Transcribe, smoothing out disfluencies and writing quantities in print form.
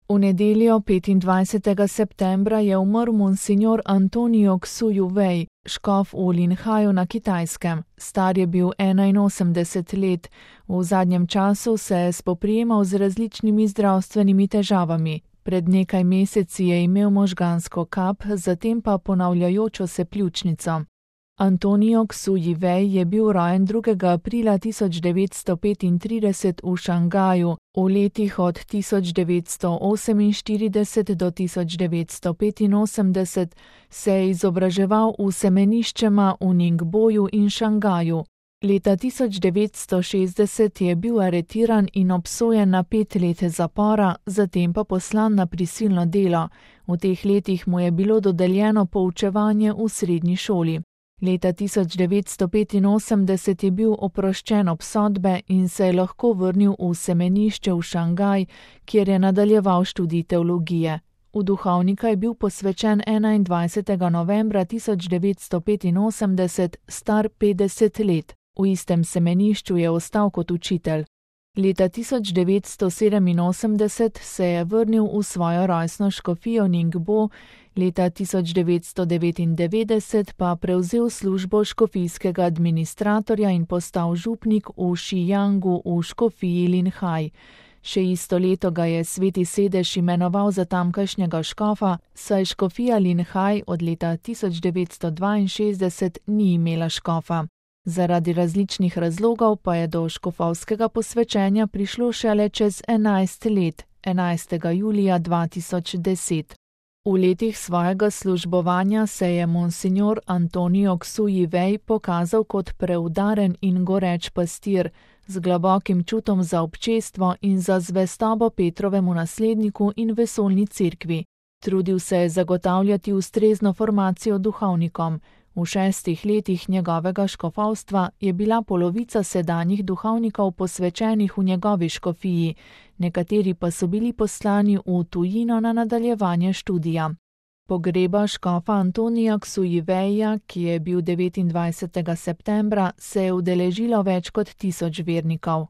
V nedeljo 25. septembra je umrl monsignor Antonio Xuyu Wei, škof v Linhaju na Kitajskem. Star je bil 81 let. V zadnjem času se je spoprijemal z različnimi zdravstvenimi težavami. Pred nekaj meseci je imel možgansko kap, zatem pa ponavljajočo se pljučnico. Antonio Xuyu Wei je bil rojen 2. aprila 1935 v Šangaju. V letih od 1948 do 1985 se je izobraževal v semeniščema v Ningboju in Šangaju. Leta 1960 je bil aretiran in obsojen na 5 let zapora, zatem pa poslan na prisilno delo. V teh letih mu je bilo dodeljeno poučevanje v srednji šoli. Leta 1985 je bil oproščen obsodbe in se je lahko vrnil v semenišče v Šangaj, kjer je nadaljeval študij teologije. V duhovnika je bil posvečen 21. novembra 1985, star 50 let. V istem semenišču je ostal kot učitelj. Leta 1987 se je vrnil v svojo rojstno škofijo Ningbo, leta 1999 pa prevzel službo škofijskega administratorja in postal župnik v Šijangu v škofiji Linhaj. Še isto leto ga je Sveti sedež imenoval za tamkajšnjega škofa, saj škofija Linhaj od leta 1962 ni imela škofa. Zaradi različnih razlogov pa je do škofovskega posvečenja prišlo šele čez 11 let, 11. julija 2010. V letih svojega službovanja se je monsignor Antonio Xuyu Wei pokazal kot preudaren in goreč pastir, z globokim čutom za občestvo in za zvestobo Petrovemu nasledniku in vesoljni cerkvi. Trudil se je zagotavljati ustrezno formacijo duhovnikom. V 6 letih njegovega škofovstva je bila polovica sedanjih duhovnikov posvečenih v njegovi škofiji, nekateri pa so bili poslani v tujino na nadaljevanje študija. Pogreba škofa Antonija Xuyu Weija, ki je bil 29. septembra, se je udeležilo več kot 1000 vernikov.